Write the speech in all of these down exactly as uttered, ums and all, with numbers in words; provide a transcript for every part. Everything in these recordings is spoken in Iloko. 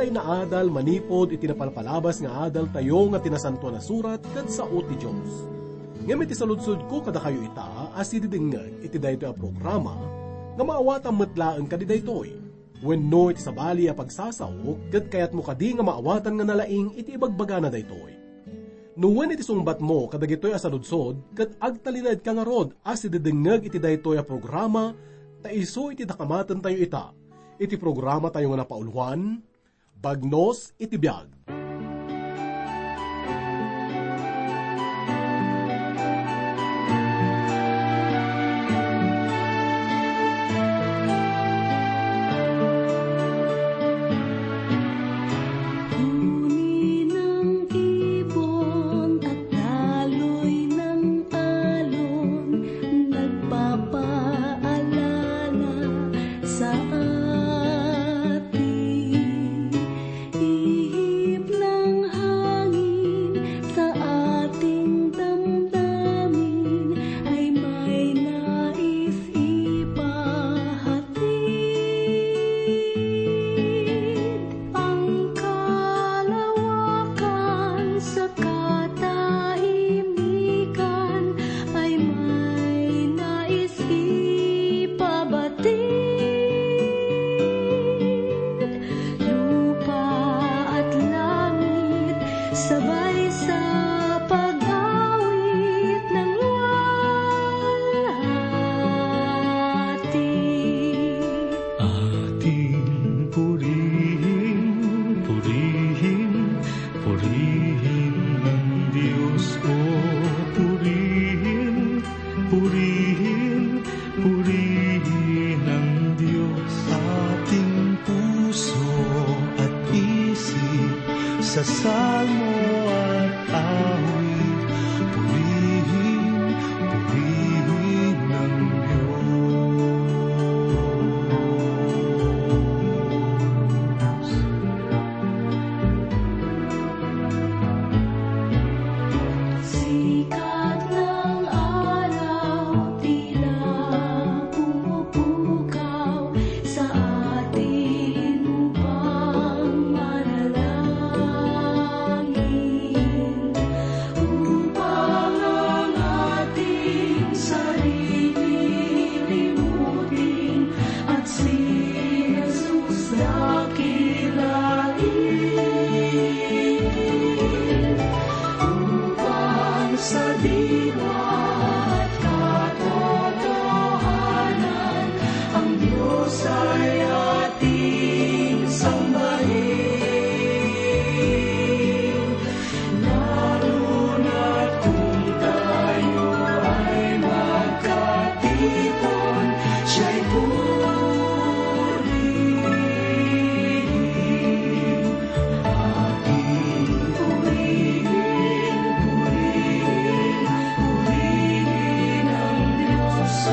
naadal manipud iti napalpalabas nga adaltayo nga ti Nasantoan a Surat ket sao ti Dios. Ngem iti saludsodko kadakayo ita a sididingngeg iti daytoy a programa, nga maawatan met laeng kadi daytoy? Wenno iti sabali a pagsasao, ket kayatmo kadi nga maawatan nga nalaing iti ibagbagana daytoy? No wen, iti sungbatmo kadagitoy a saludsod, ket agtalinaedka ngarud a sididingngeg iti daytoy a programa, ta isu iti dakamatentayo ita, iti programatayo nga napauluan, Bagnos iti Biag. Uni nang ibon at daloy nang alon, nagpapaalala sa atin. Ihip nang hangin sa ating damdamin ay may nais ipahatid. Ang kalawakan sa katahimikan ay may nais ipabatid. Lupa at langit sabay sa pag-awit ng luwalhati. Ating purihin, purihin, purihin ang Diyos, o purihin, purihin, purihin ang Diyos. Ating puso at isip sa salmo at awit, purihin, purihin ang Diyos. Sikat ng araw tila pumupukaw sa atin upang manalangin, upang ang ating sarili limutin at si Jesus dakilain. Upang sa diwa at katotohanan, ang Diyos ay ating sambahin. Lalo na't kung tayo ay magkatipon, siya'y purihin. Ating purihin, purihin, purihin ang Diyos. O,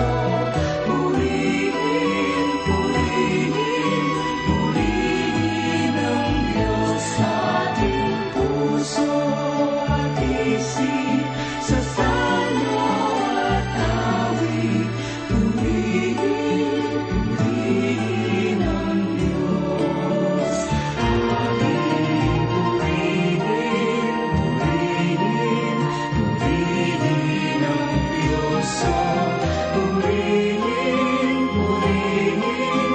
purihin, purihin, purihin ang Diyos. Ating puso at isip sa salmo at awit, purihin, purihin ang Diyos. Ating purihin, purihin, purihin ang Diyos. O, purihin, purihin,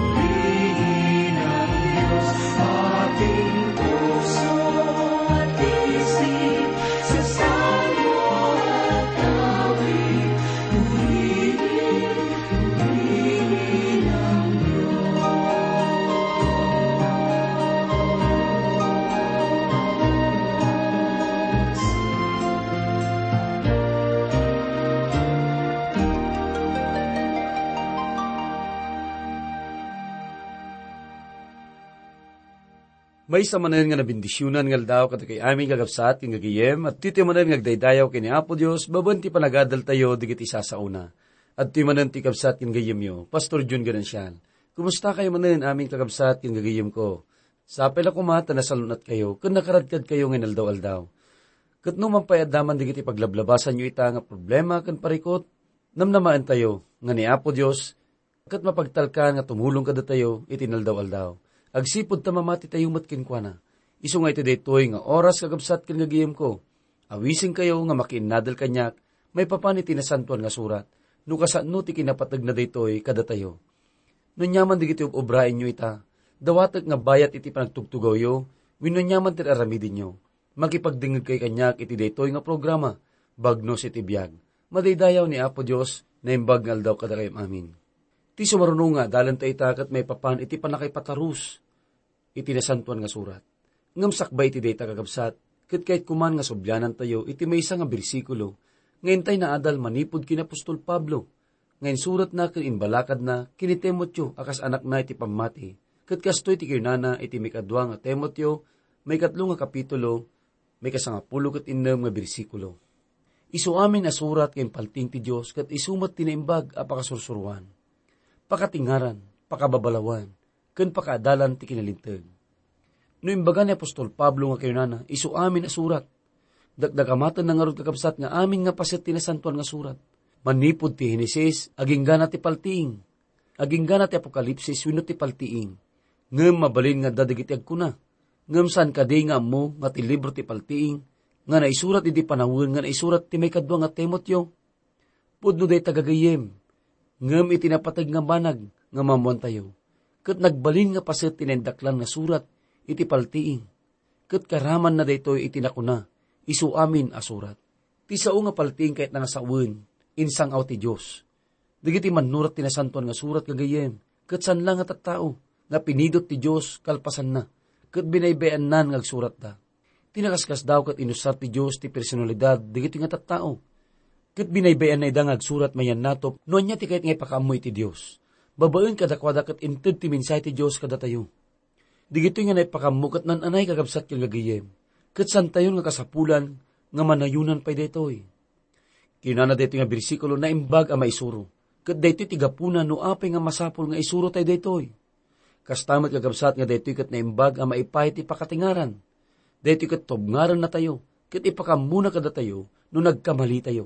purihin ang Diyos. Ating puso at isip sa salmo at awit, purihin, purihin ang Diyos. Maysa manen nga nabendisionan nga aldaw kadagiti amin kakabsat ken gagayem, adtoy manen nga agdaydayaw ken ni Apo Dios babaen ti panagadaltayo dagiti sasaona. Adtoy manen ti kabsat ken gayemyo, Pastor Jun Ganancial. Kumustakayo manen, amin kakabsat ken gagayemko? Sapay la koma ta nasalun-atkayo ken nakaradkadkayo nga inaldaw-aldaw. Ket no man pay adda man dagiti paglablabasanyo ita nga problema ken parikut, namnamaentayo nga ni Apo Dios ket mapagtalkan nga tumulong kadatayo iti inaldaw-aldaw. Agsipud ta mamati tayo met kenkuana. Isu nga iti daytoy nga oras, kakabsat ken gagayemko, awisenkayo nga makiinnadal kaniak maipapan iti Nasantoan nga Surat, no kasano ti kinapategna daytoy kadatayo. No aniaman dagiti ob-obraenyo ita, dawatek nga bayat iti panagtugtugawyo, wenno aniaman ti ar-aramidenyo, makipagdengngegkay kaniak iti daytoy nga programa, Bagnos iti Biag. Madaydayaw ni Apo Dios, naimbag nga aldaw kadakayam amin. Ti sumaruno nga adalanta ita ket maipapan iti pannakaipatarus iti Nasantoan nga Surat. Ngem sakbay iti dayta, kakabsat, ket kayatko man nga sublianantayo iti maysa nga bersikulo nga intay naadal manipud ken ni apostol Pablo, nga insuratna ken imbalakadna ken ni Timoteo a kas anakna iti pammati, ket kastoy ti kinunana iti maikadua nga Timoteo, maikatlo nga kapitulo, maikasangapulo ket innem nga bersikulo. Isu amin a surat nga impaltiing ti Dios ket isu met ti naimbag a pakasursuroan, pakatengngaran, pakababalawan, ken pakaadalan ti kinalinteg. No imbaga ni apostol Pablo nga kinunana, isu amin a surat, dakdakamatenna ngarud, kakabsat, nga amin nga paset ti Nasantoan nga Surat, manipud ti Henesis aginggana ti paltiing, aginggana ti Apokalipsis wenno ti paltiing. Ngem mabalin nga adda dagiti agkuna, ngem saan kadi nga ammo nga ti libro ti paltiing nga naisurat idi panawen nga naisurat ti maikadua nga Timoteo? Pudno dayta, gagayyem, ngem iti napateg nga banag nga maammoantayo, ket nagbalin nga paset ti naindaklan nga surat iti paltiing, ket karamanna daytoy iti nakuna, isu amin a surat. Ti sao nga paltiing kayatna nga sawen, insang-aw ti Dios. Dagiti mannurat ti Nasantoan nga Surat, gagayyem, ket saan la nga tattao nga pinidot ti Dios kalpasanna, ket binaybay-annan nga agsuratda. Ti nakaskasdaaw ket inusar ti Dios ti personalidad dagitoy nga tattao, ket binaybay-anna ida nga agsurat mayannatop no ania ti kayat nga ipakaammo iti Dios. Babaen kadakuada ket inted ti mensahe ti Dios kadatayo. Dagitoy nga naipakaammo ket naan-anay, kakabsat ken gagayyem, ket saantayon nga kasapulan nga manayonan pay daytoy. Kinana daytoy nga bersikulo, naimbag a maisuro, ket daytoy ti gapuna no apay nga masapul nga isuro tayo daytoy. Kasta met, kakabsat, nga daytoy ket naimbag a maipaay ti pakatengngaran. Daytoy ket tubngarennatayo, ket ipakaammona kadatayo no nagkamalitayo.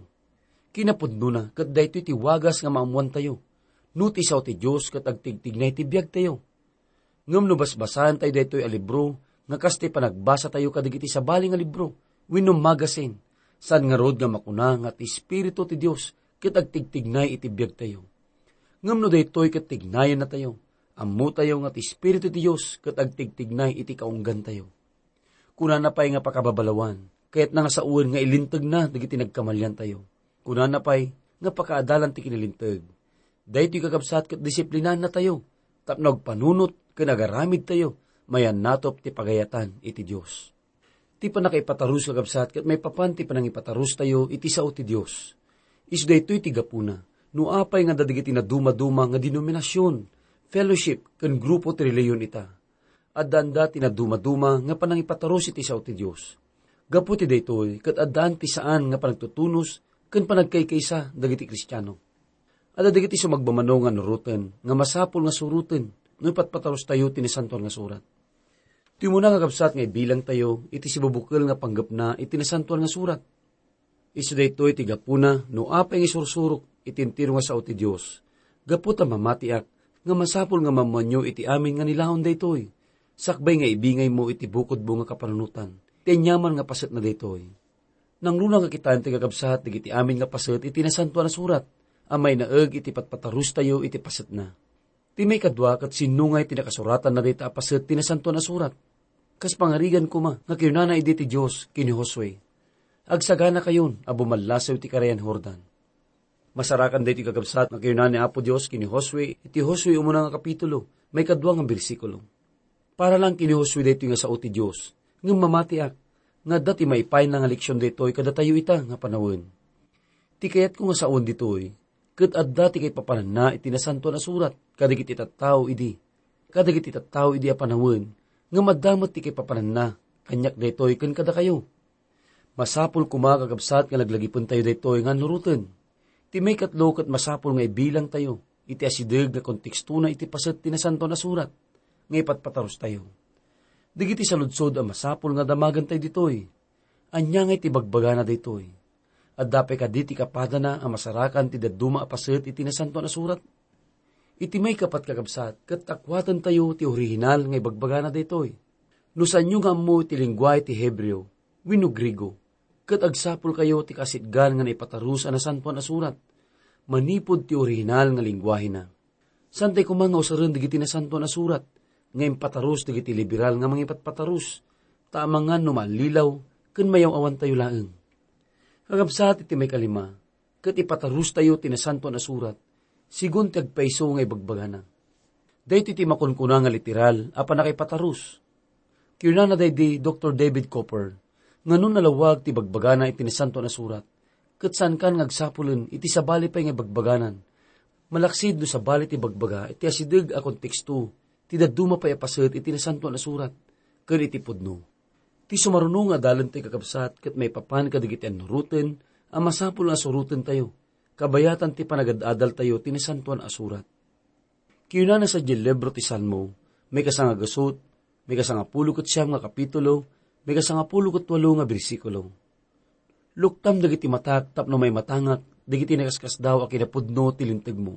Kinapudnona, ket daytoy ti wagas nga maammoantayo no ti sao ti Dios ket agtigtignay ti biagtayo. Ngem no basbasaentayo daytoy a libro nga kas ti panagbasatayo kadagiti sabali nga libro wenno magasin, saan ngarud nga makuna nga ti Espiritu ti Dios ket agtigtignay iti biagtayo. Ngem no daytoy ket tignayennatayo, ammotayo nga ti Espiritu ti Dios ket agtigtignay iti kaunggantayo. Kunana pay nga pakababalawan, kayatna nga sawen nga ilintegna dagiti nagkamaliantayo. Kunana pay nga pakaadalan ti kinalinteg. Daytoy, kakabsat, ket disiplinaennatayo tapno agpanunot ken agaramidtayo mayannatop ti pagayatan iti Dios. Ti pannakaipatarus, kakabsat, ket maipapan ti panangipatarustayo iti sao ti Dios. Isu daytoy ti gapuna no apay nga adda dagiti nadumaduma nga denominasion, fellowship, ken grupo ti relihiyon ita. Addaanda ti nadumaduma nga panangipatarus iti sao ti Dios. Gapu ti daytoy, ket addaan ti saan nga panagtutunos ken panagkaykaysa dagiti Kristiano. Adda dagiti sumagmamano nga nuroten nga masapul nga suroten no ipatpatarustayo ti Nasantoan nga Surat. Ti umuna, kakabsat, nga ibilangtayo iti sibubukel nga panggepna iti Nasantoan nga Surat. Isu daytoy ti gapuna no apay nga isursurok iti entero nga sao ti Dios. Gapu ta mamatiak nga masapul nga maammoanyo iti amin nga nilaon daytoy, sakbay nga ibingaymo iti bukodmo nga kapanunotan ti aniaman nga pasetna daytoy. Nangruna nga kitaen ti kakabsat dagiti amin nga paset iti Nasantoan a Surat a mainaeg iti patpatarustayo iti pasetna. Ti maikadua, ket sinno ngay ti nakasuratanna dayta a paset ti Nasantoan a Surat? Kas pangarigan koma nga kinunana idi ti Dios ken ni Josue, "Agsaganakayon a bumallasew ti Karayan Jordan." Masarakan daytoy, kakabsat, nga kinuna ni Apo Dios ken ni Josue iti Josue umuna nga kapitulo, maikadua nga bersikulo. Para lang ken ni Josue daytoy nga sao ti Dios, ngem mamatiak nga adda ti maipayna nga leksion daytoy kadatayo ita nga panawen. Ti kayatko nga sawen ditoy, ket adda ti kaipapananna iti Nasantoan a Surat kadagiti tattao idi. Kadagiti tattao idi a panawen, ngem adda met ti kaipapananna kaniak daytoy ken kadakayo. Masapul koma, kakabsat, nga laglagipentayo daytoy nga annuroten. Ti maikatlo, ket masapul nga ibilangtayo iti asideg nga kontekstona iti paset ti Nasantoan a Surat nga ipatpatarustayo. Dagiti saludsod a masapul nga damagentayo ditoy. Ania ngay ti bagbagana daytoy? Adda pay kadi ti kapadana a masarakan ti dadduma a paset iti Nasantoan a Surat? Iti maikapat, kakabsat, ket takuatentayo ti orihinal nga ibagbagana daytoy. No saanyo nga ammo ti lengguahe ti Hebreo wenno Griego, ket agsapulkayo ti kasitgan nga naipatarus a Nasantoan a Surat manipud ti orihinal nga lengguahena. Saantay koma nga usaren dagiti Nasantoan a Surat nga impatarus dagiti liberal nga mangipatpatarus, ta amangan no maallilaw ken mayaw-awantayo laeng. Kakabsat, iti maikalima, ket ipatarustayo ti Nasantoan a Surat, sigun ti agpayso nga ibagbagana. Daytoy ti makunkuna nga literal a pannakaipatarus. Kinunana daydi Doktor David Cooper nga no nalawag ti bagbagana iti Nasantoan a Surat, ket saankan nga agsapulen iti sabali pay nga ibagbaganan, malaksid no sabali ti bagbaga iti asideg a konteksto ti dadduma pay a paset iti Nasantoan a Surat ken iti pudno. Ti sumaruno nga adalentayo, kakabsat, ket maipapan kadagiti annuroten a masapul nga surotentayo, kabayatan ti panagad-adaltayo ti Nasantoan a Surat. Kinunana sadiay libro ti Salmo, maikasangagasut, maikasangapulo ket siam nga kapitulo, maikasangapulo ket walo nga bersikulo, "Luktam dagiti matak tapno maimatangak dagiti nakaskasdaaw a kinapudno ti lintegmo."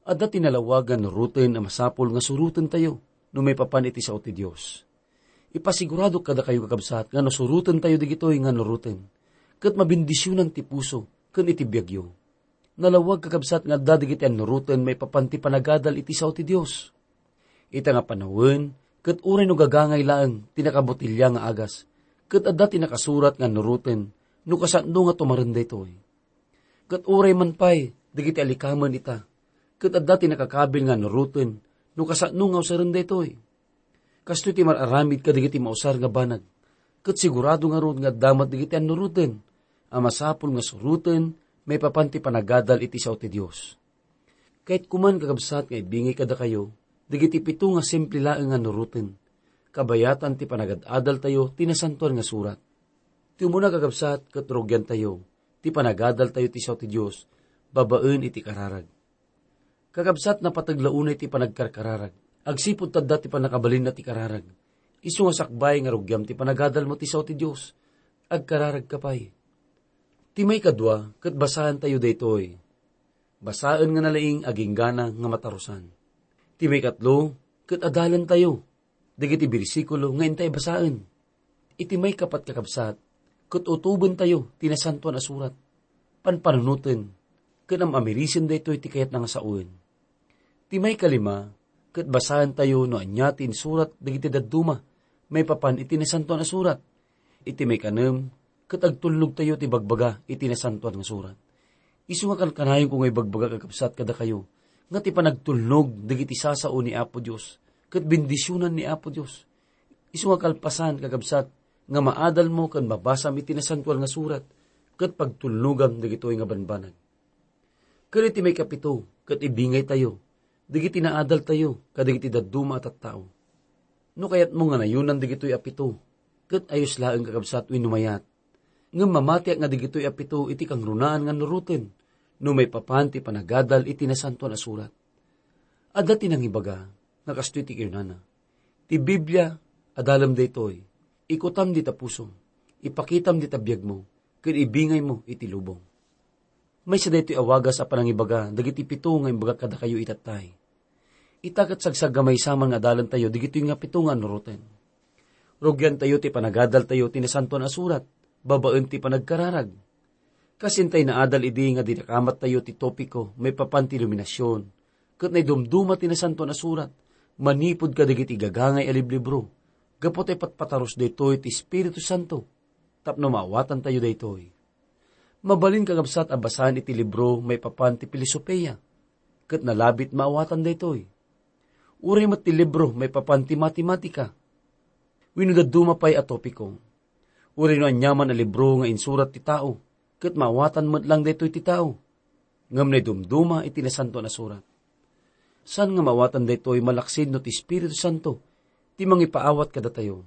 Adda ti nalawag nga annuroten a masapul nga surotentayo no maipapan iti sao ti Dios. Ipasiguradok kadakayo, kakabsat, nga no surotentayo dagitoy nga annuroten, ket mabendisionan ti puso ken iti biagyo. Nalawag, kakabsat, nga adda dagiti annuroten maipapan ti panagadal iti sao ti Dios. Ita nga panawen, ket uray no gagangay laeng ti nakabotelia nga agas, ket adda ti nakasurat nga annuroten no kasano nga tumaren daytoy. Ket uray man pay dagiti alikamen ita, ket adda ti nakakabil nga annuroten no kasano nga usaren daytoy. Kastoy ti mar-aramid kadagiti mausar nga banag, ket sigurado ngarud nga adda met dagiti annuroten a masapul nga suroten maipapan ti panagadal iti sao ti Dios. Kayatko man, kakabsat, nga ibingay kadakayo dagiti pito nga simple laeng nga annuroten, kabayatan ti panagad-adaltayo ti Nasantoan nga Surat. Ti umuna, kakabsat, ket rugiantayo ti panagadaltayo ti sao ti Dios babaen iti kararag. Kakabsat, napateg la unay ti panagkarkararag. Agsipud ta adda ti pannakabalinna ti kararag. Isu nga sakbay nga rugiam ti panagadalmo ti sao ti Dios, agkararagka pay. Ti maikadua, ket basaentayo daytoy. Basaen nga nalaing aginggana nga matarusan. Ti maikatlo, ket adalentayo dagiti bersikulo nga intay basaen. Iti maikapat, kakabsat, ket utobentayo ti Nasantoan a Surat. Panpanunoten ken am-amirisen daytoy ti kayatna nga saoen. Ti maikalima, ket basaentayo no ania ti insurat dagiti dadduma maipapan iti Nasantoan a Surat. Iti maikanem, ket agtulnogtayo ti bagbaga iti Nasantoan nga Surat. Isu nga kankanayonko nga ibagbaga, kakabsat, kadakayo, nga ti panagtulnog dagiti sasao ni Apo Dios, ket bendisionan ni Apo Dios. Isu nga kalpasan, kakabsat, nga maadalmo ken mabasam iti Nasantoan nga Surat, ket pagtulnogam dagitoy nga banbanag. Ket iti maikapito, ket ibingaytayo dagiti naadaltayo kadagiti dadduma a tattao. No kayatmo nga nayonan dagitoy a pito, ket ayos laeng, kakabsat, wenno mayat. Ngem mamatiak nga dagitoy a pito iti kangrunaan nga annuroten no maipapan ti panagadal iti Nasantoan a Surat. Adda ti nangibaga nga kastoy ti kinunana, "Ti Biblia, adalem daytoy. Ikutam dita pusom, ipakitam dita biagmo, ken ibingaymo iti lubong." Maysa daytoy a wagas a panangibaga dagiti pito nga imbagak kadakayo itattay. Ita ket sagsaggamaysa man nga adalentayo dagitoy nga pito nga annuroten. Rugiantayo ti panagadaltayo ti Nasantoan a Surat babaen ti panagkararag. Kas intay naadal idi nga dinakamattayo ti topiko maipapan ti iluminasion, ket naidumduma ti Nasantoan a Surat manipud kadagiti gagangay a liblibro, gapu ta ipatpatarus daytoy ti Espiritu Santo tapno maawatantayo daytoy. Mabalin, kakabsat, a basaen iti libro maipapan ti filosofia, ket nalabit maawatan daytoy. Uray met ti libro maipapan ti matematika, wenno dadduma pay a topiko. Uray no aniaman a libro nga insurat ti tao, ket maawatan met lang daytoy ti tao. Ngem naidumduma iti Nasantoan a Surat. Saan nga maawatan daytoy malaksid no ti Espiritu Santo ti mangipaawat kadatayo,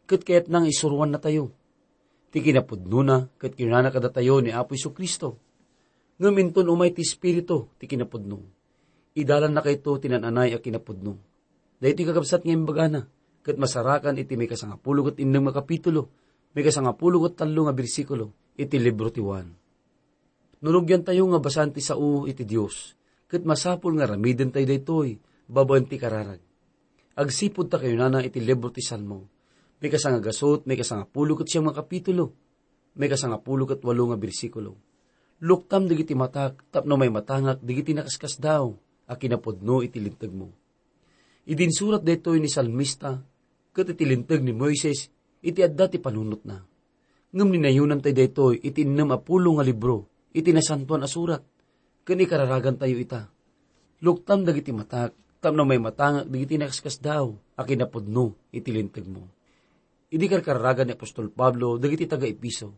ket kayatna nga isuroannatayo. Ti kinapudnona, ket kinunana kadatayo ni Apo Jesu-Cristo, "Ngem inton umay ti Espiritu ti kinapudno, idalannakayto ti naan-anay a kinapudno." Daytoy, kakabsat, nga imbagana, ket masarakan iti maikasangapulo ket innem nga kapitulo, maikasangapulo ket tallo nga bersikulo iti libro ti Juan. No rugiantayo nga basaen ti sao iti Dios, Ket masapul nga aramidentayo daytoy babaen ti kararag. Agsipud ta kayunana iti libro ti Salmo, maikasangagasut, maikasangapulo ket siam nga kapitulo, maikasangapulo ket walo nga bersikulo. Luktam dagiti matak tapno maimatangak dagiti nakaskasdaaw a kinapudno iti lintegmo. Idi insurat daytoy ni salmista, ket iti linteg ni Moises iti adda ti panunotna. Ngem ninayonantayo daytoy iti innem a pulo nga libro iti Nasantoan a Surat, ken ikararagantayo ita. Luktam dagiti matak tapno maimatangak dagiti nakaskasdaaw a kinapudno iti lintegmo. Idi karkararagan ni apostol Pablo dagiti taga-Efeso,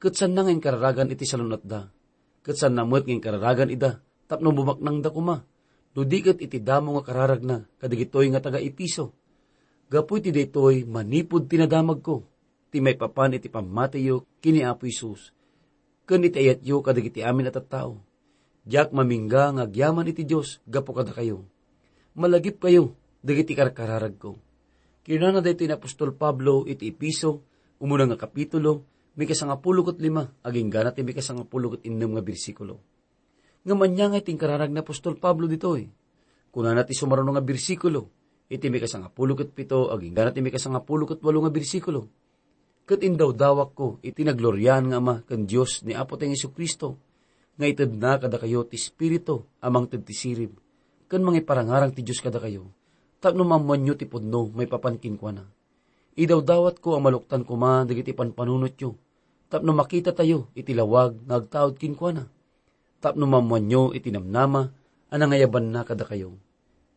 ket saanna nga inkararagan iti salun-atda, ket saanna met nga inkararagan ida tapno bumaknangda koma, no di ket iti damo nga kararagna kadagitoy nga taga-Efeso. Gapu iti daytoy, manipud ti nadamagko, ti maipapan iti pammatiyo ken ni Apo Jesus, ken iti ayatyo kadagiti amin a tattao. Diak mamingga nga agyaman iti Dios gapu kadakayo. Malagipkayo dagiti karkararagko. Kinunana daytoy ni apostol Pablo iti Efeso, umuna nga kapitulo, maikasangapulo ket lima, agingga na ti maikasangapulo ket innem nga bersikulo. Ngem ania nga ti inkararag ni apostol Pablo ditoy? Kunana ti sumaruno nga bersikulo, iti maikasangapulo ket pito, agingga na ti maikasangapulo ket walo nga bersikulo. Ket indawdawakko iti nagloriaan nga Ama ken Dios ni Apo tayo Jesu-Cristo, nga itedna kadakayo ti Espiritu a mangted ti sirib, ken mangiparangarang ti Dios kadakayo, tapno maammoanyo ti pudno maipapan kenkuana. Idawdawatko a maluktan koma dagiti panpanunotyo, tapno makitatayo iti lawag nga agtaud kenkuana, tapno maammoanyo iti namnama a nangayabanna kadakayo.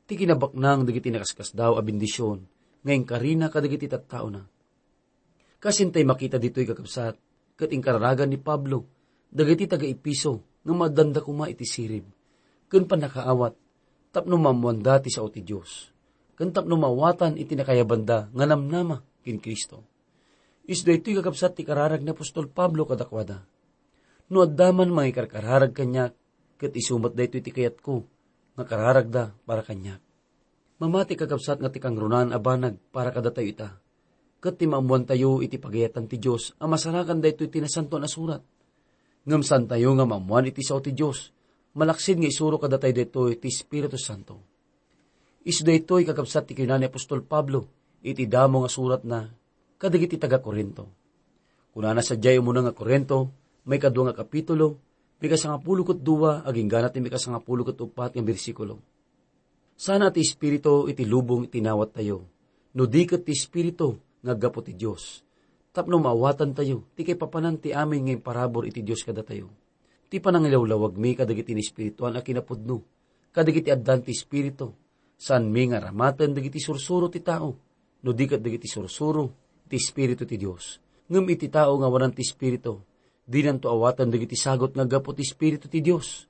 Ti kinabaknang dagiti nakaskasdaaw a bendision nga inkarina kadagiti tattaona. Kasintay makita ditoy, kakabsat, ket inkararagan ni Pablo dagiti taga-Efeso nga maaddanda koma iti sirib ken pannakaawat tapno maammoanda ti sao ti Dios, ken tapno maawatan iti nakayabanda nga namnama ken Cristo. Isu daytoy, kakabsat, ti kararag ni apostol Pablo kadakuada. No adda man mangikarkararag kaniak, ket isu met daytoy ti kayatko nga kararagda para kaniak. Mamati, kakabsat, nga ti kangrunaan a banag para kadatayo ita, ket ti maammoantayo iti pagayatan ti Dios a masarakan daytoy ti Nasantoan a Surat. Ngem saantayo nga maammoan iti sao ti Dios, malaksid nga isuro kadatayo daytoy ti Espiritu Santo. Isu daytoy, kakabsat, ti kinuna ni apostol Pablo iti damo nga suratna kadagiti taga-Corinto. Kunana sadiay umuna nga Corinto, maikadua nga kapitulo, maikasangapulo ket dua, agingga na ti maikasangapulo ket uppat nga bersikulo. Sana ti Espiritu iti lubong iti inawattayo, no di ket ti Espiritu nga aggapu ti Dios, tapno maawatantayo ti kaipapanan ti amin nga imparabur iti Dios kadatayo. Ti panangilawlawagmi kadagiti naespirituan a kinapudno, kadagiti addan ti Espiritu, saanmi nga aramaten dagiti sursuro ti tao, no di ket dagiti sursuro ti Espiritu ti Dios. Ngem iti tao nga awanan ti Espiritu, dinanto awaten dagiti sagut nga aggapu ti Espiritu ti Dios.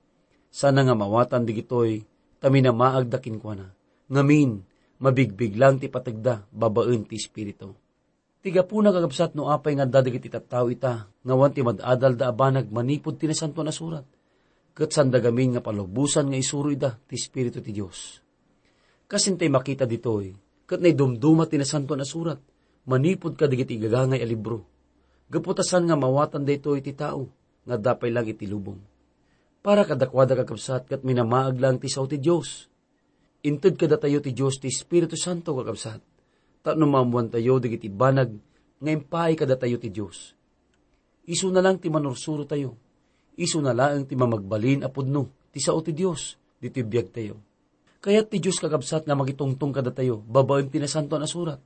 Sana nga maawatan dagitoy ta minamaagda kenkuana. Ngamin, mabigbiglang ti pategda babaen ti Espiritu. Ti gapuna, kakabsat, no apay nga adda dagiti tattao ita nga awan ti mad-adalda a banag manipud ti Nasantoan a Surat, ket saanda gamin nga palubosan nga isuro ida ti Espiritu ti Dios. Kasintay makita ditoy, ket naidumduma ti Nasantoan a Surat manipud kadagiti igagangay a libro. Gapu ta saan nga maawatan daytoy ti tao nga adda pay lang iti lubong. Para kadakuada, kakabsat, ket minamaag lang ti sao ti Dios. Inted kadatayo ti Dios ti Espiritu Santo, kakabsat, tapno maammoantayo dagiti banag nga impaay kadatayo ti Dios. Isuna lang ti manursurotayo. Isuna laeng ti mamagbalin a pudno ti sao ti Dios ditoy biagtayo. Kayat ti Dios, kakabsat, nga makitungtong kadatayo babaen ti Nasantoan a Surat.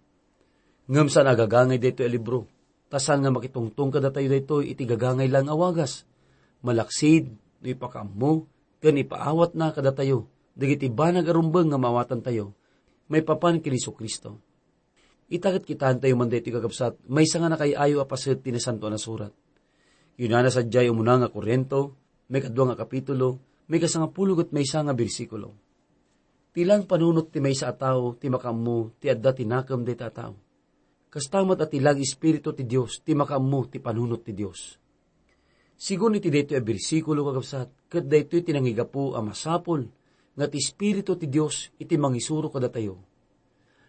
Ngem saan a gagangay daytoy a libro, ta saan nga makitungtong kadatayo daytoy iti gagangay lang a wagas. Malaksid no ipakaammo ken ipaawatna kadatayo dagiti banag a rumbeng nga maawatantayo maipapan ken Jesu-Cristo. Ita ket kitaentayo man daytoy, kakabsat, maysa nga nakaay-ayo a paset ti Nasantoan a Surat. Kinuna sadiay umuna nga Corinto, maikadua nga kapitulo, maikasangapulo ket maysa nga bersikulo. Ti lang panunot ti maysa a tao ti makaammo ti adda ti nakem dayta a tao. Kasta met a ti lang Espiritu ti Dios ti makaammo ti panunot ti Dios. Sigun iti daytoy a bersikulo, kakabsat, ket daytoy ti nangigapu a masapul nga ti Espiritu ti Dios iti mangisuro kadatayo.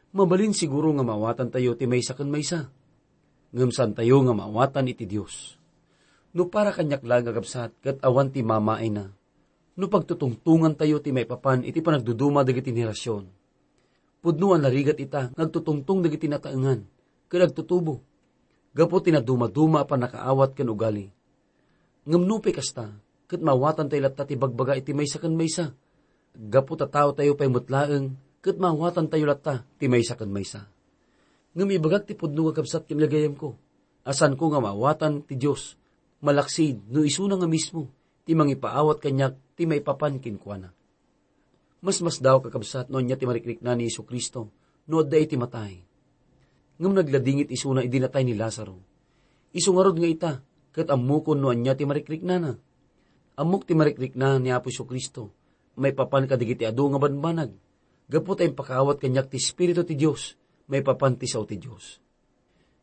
Mabalin siguro nga maawatantayo ti maysa ken maysa, ngem saantayo nga maawatan iti Dios. No para kaniak laeng, kakabsat, ket awan ti mamaayna, No pagtutungtongantayo ti maipapan iti panagduduma dagiti henerasyon, pudno a narigat ita nga agtutungtong dagiti nataengan ken agtutubo gapu ti nadumaduma a pannakaawat ken ugali. Ngem nupay kasta, ket maawatantayo latta ti bagbaga iti maysa ken maysa. Gapu ta taotayo pay met laeng, ket maawatantayo latta ti maysa ken maysa. Ngem ibagak ti pudno, kakabsat ken gagayemko, a saanko nga maawatan ti Dios, malaksid no isuna nga mismo ti mangipaawat kaniak ti maipapan kenkuana. Masmasdaaw, kakabsat, no ania ti marikrikna ni Jesu-Cristo no adda iti matay. Ngem nagladingit isuna idi natay ni Lazaro. Isu ngarud nga ita, ket ammokon no ania ti marikriknana. Ammok ti marikrikna ni Apo Jesu-Cristo maipapan kadagiti adu nga banbanag, gapu ta impakaawat kaniak ti Espiritu ti Dios maipapan ti sao ti Dios.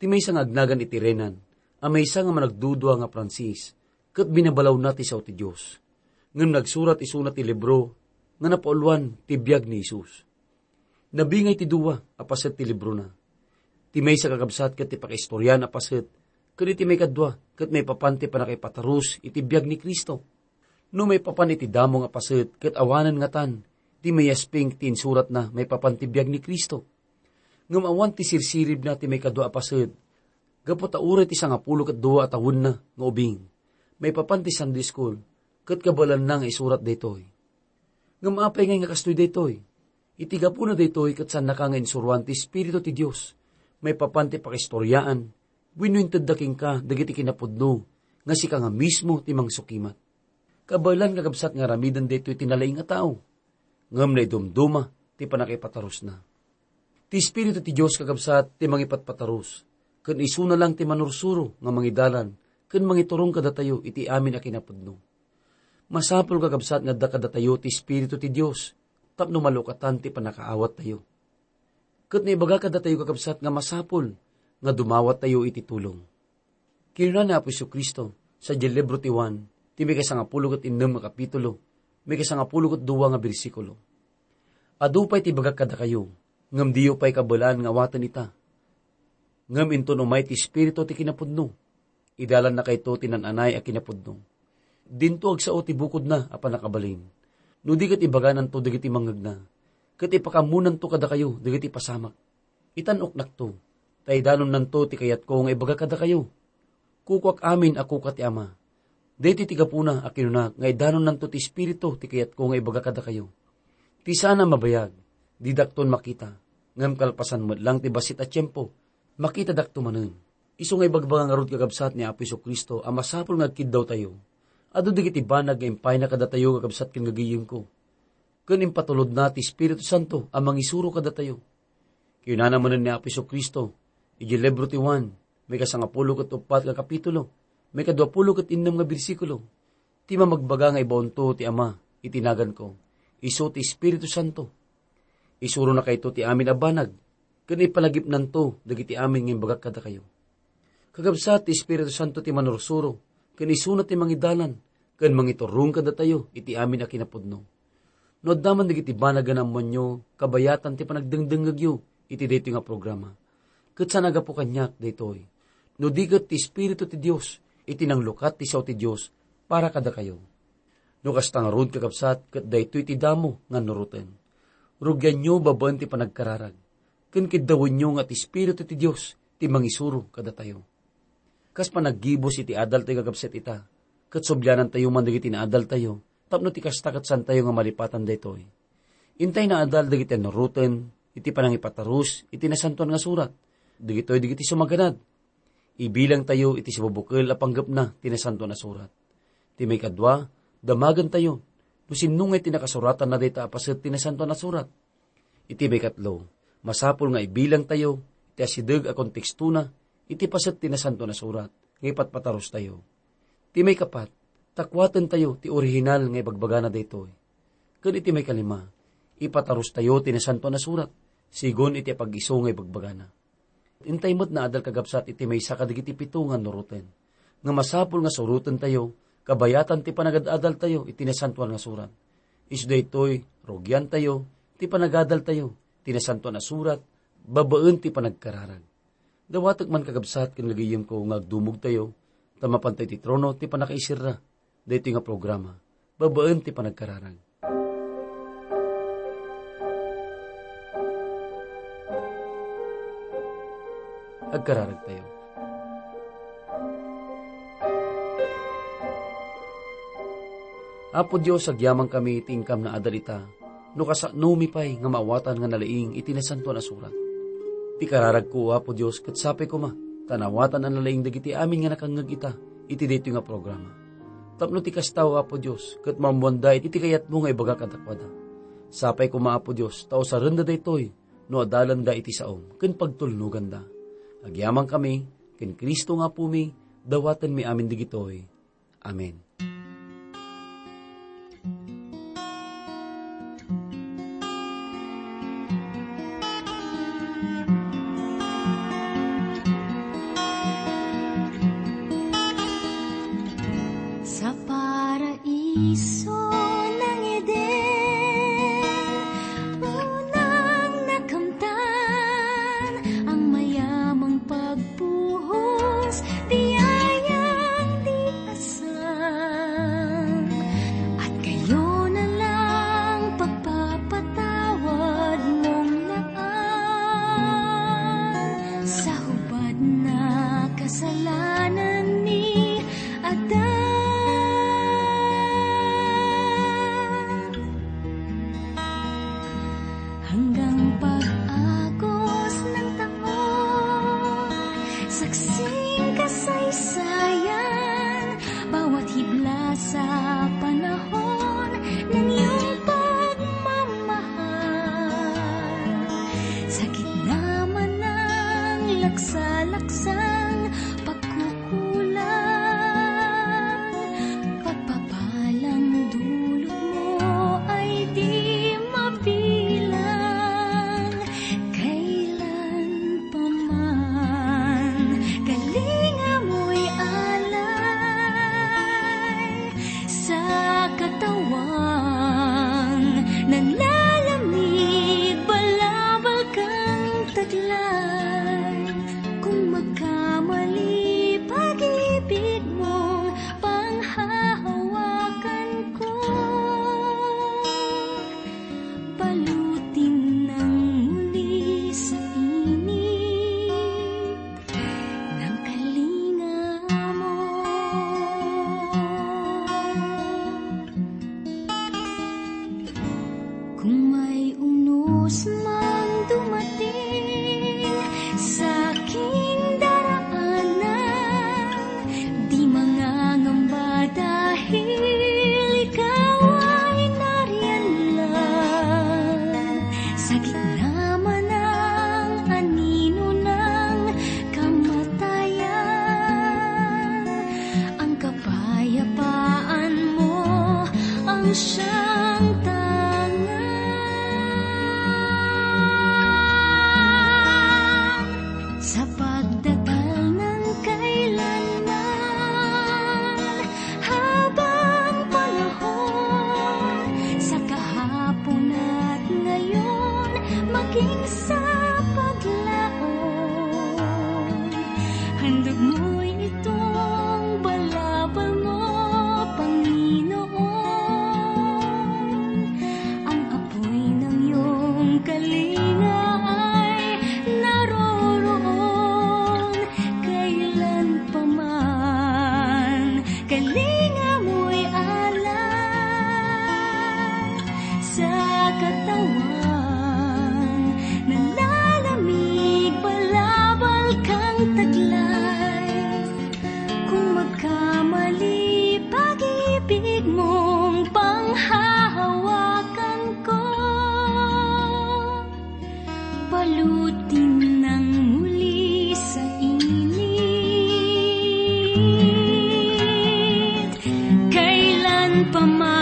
Ti maysa nga agnagan iti Renan, a maysa nga managdudua nga Francis, ket binabalawna ti sao ti Dios. Ngem nagsurat isuna ti libro nga napauluan ti biag ni Jesus. Nabingay ti dua a paset ti librona. Ti maysa, kakabsat, ket ti pakaistoriaan a paset, ket iti maikadua ket maipapan ti pannakaipatarus iti biag ni Cristo. No maipapan iti damo nga paset, ket awanen ngatan ti mayasping ti insuratna maipapan ti biag ni Cristo. Ngem awan ti sirsiribna ti maikadua a paset, gapu ta uray ti sangapulo ket dua a tawenna nga ubing, maipapan ti Sunday school, ket kabaelanna nga isurat daytoy. Ngem apay ngay nga kastoy daytoy? Iti gapuna daytoy ket saannaka nga insuroan ti Espiritu ti Dios maipapan ti pakaistoriaan wenno intedda kenka dagiti kinapudno nga sika nga mismo ti mangsukimat. Kabaelan, kakabsat, nga aramiden daytoy ti nalaing a tao, ngem naidumduma ti pannakaipatarusna. Ti Espiritu ti Dios, kakabsat, ti mangipatpatarus, ken isuna lang ti manursuro nga mangidalan ken mangiturong kadatayo iti amin a kinapudno. Masapul, kakabsat, nga adda kadatayo ti Espiritu ti Dios tapno malukatan ti pannakaawattayo. Ket naibaga kadatayo, kakabsat, nga masapul nga dumawattayo iti tulong. Kinuna ni Apo Jesu-Cristo sadiay libro ti Juan, ti maikasangapulo ket innem nga kapitulo, maikasangapulo ket dua nga bersikulo, "Adu pay ti ibagak kadakayo, ngem diyo pay kabaelan nga awaten ita. Ngem inton umay ti Espiritu ti kinapudno, idalannakayto ti naan-anay a kinapudno. Dinto agsao ti bukodna a pannakabalin, no di ket ibagananto dagiti mangngegna, ket ipakammonanto kadakayo dagiti pasamak. Itan-oknakto, ta idanonnanto ti kayatko nga ibaga kadakayo. Kukuak amin a kuka ti Ama. Daytoy ti gapuna a kinunak nga idanonnanto ti Espiritu ti kayatko nga ibaga kadakayo. Ti saan a mabayag, didakton makita, ngem kalpasan met lang ti bassit a tiempo, makitadakto manen." Isu nga ibagbaga ngarud, kakabsat, ni Apo Jesu-Cristo a masapul nga agkiddawtayo. Adu dagiti banag nga impayna kadatayo, kakabsat ken gagayemko, ken impatulodna ti Espiritu Santo a mangisuro kadatayo. Kinunana manen ni Apo Jesu-Cristo, idiay libro ti Juan, maikasangapulo ket uppat nga kapitulo, maikaduapulo ket innem nga bersikulo, "Ti mamagbaga nga ibaonto ti Ama iti naganko, isu ti Espiritu Santo. Isuronakayto ti amin a banag, ken ipalagipnanto dagiti amin nga imbagak kadakayo." Kakabsat, ti Espiritu Santo ti manursuro, ken isuna ti mangidalan ken mangiturong kadatayo iti amin a kinapudno. No adda man dagiti banag nga naammoanyo, kabayatan ti panagdengdengngegyo iti daytoy nga programa. Ket saan a gapu kaniak daytoy, no di ket ti Espiritu ti Dios iti nanglukat ti sao ti Dios para kadakayo. No kasta ngarud, kakabsat, ket daytoy ti damo nga annuroten. Rugianyo babaen ti panagkararag, ken kiddawenyo nga ti Espiritu ti Dios ti mangisuro kadatayo. Kas panaggibus iti adaltayo, kakabsat, ita, ket sublianantayo man dagiti naadaltayo, tapno ti kasta ket saantayo nga malipatan daytoy. Intay naadal dagiti annuroten iti panangipatarus iti Nasantoan nga Surat. Dagitoy dagiti sumaganad. Ibilangtayo iti sibubukel a panggepna ti Nasantoan a Surat. Ti maikadua, damagentayo no sinno ngay ti nakasuratanna dayta a paset ti Nasantoan a Surat. Iti maikatlo, masapul nga ibilangtayo ti asideg a kontekstona iti paset ti Nasantoan a Surat nga ipatpatarustayo. Ti maikapat, takuatentayo ti orihinal nga ibagbagana daytoy. Ken iti maikalima, ipatarustayo ti Nasantoan a Surat, sigun iti apag-isu nga ibagbagana. Intay met naadal, kakabsat, iti maysa kadagiti pito nga annuroten. Nga masapul nga surotentayo, kabayatan ti panagad-adaltayo iti Nasantoan nga Surat. Isu daytoy, rugiantayo ti panagadaltayo ti Nasantoan a Surat babaen ti panagkararag. Dawatek man, kakabsat ken gagayemko, nga agdumogtayo, ta mapantayo iti trono ti pannakaiserra daytoy nga programa. babaen ti panagkararag. Agkararagtayo. Apo Dios, agyamankami ti inkam naadal ita, no kasanomi pay nga maawatan nga nalaing iti Nasantoan a Surat. Ti kararagko, Apo Dios, ket sapay koma ta naawatan a nalaing dagiti amin nga nakangngeg ita iti daytoy nga programa. Tapno ti kasta, Apo Dios, ket maammoanda iti kayatmo nga ibaga kadakuada. Sapay koma, Apo Dios, ta usarenda daytoy no adalanda iti saom ken pagtulnoganda. Agyamankami ken Cristo nga Apomi, dawatenmi amin dagitoy. Amen. Sa paraiso nang Eden, unang nakamtan ang mayamang pagpuhos, biyayang di asang. At kayo na lang pagpapatawad mong naan sa hubad na kasalanan ni Adan. Hanggang pag-agos ng taon, saksing kasaysayan, bawat hibla sa panahon ng iyong pagmamahal. Sa gitna man ng laksa-laksang pagkukulang, pagpapalang dulot mo ay di mabilang. Kailan pa man, kalinga mo'y alay sa katawang nanlalamig, balabal kang taglay. Kung magkamali pag-ibig mong panghahawakan ko, balutin ng muli sa init ng kalinga mo. Kung may unos mang dumating sa aking daraanan, di mangangamba dahil ikaw ay nariyan lang. Sa gitna man ng anino ng kamatayan, ang kapayapaan mo ang siyang tangan. Sa pagdakal ng kailanman, habang panahon, sa kahapon at ngayon, maging sa paglaon, handog mo'y itong balabal mo, Panginoon. Ang apoy ng iyong kalinga ay naroroon kailan pa man. Kalinga mo'y alay sa katawan, nanlalamig, balabal kang taglay. Kung magkamali pag-ibig mong panghahawakan ko, balutin ng muli sa init. Kailan pa man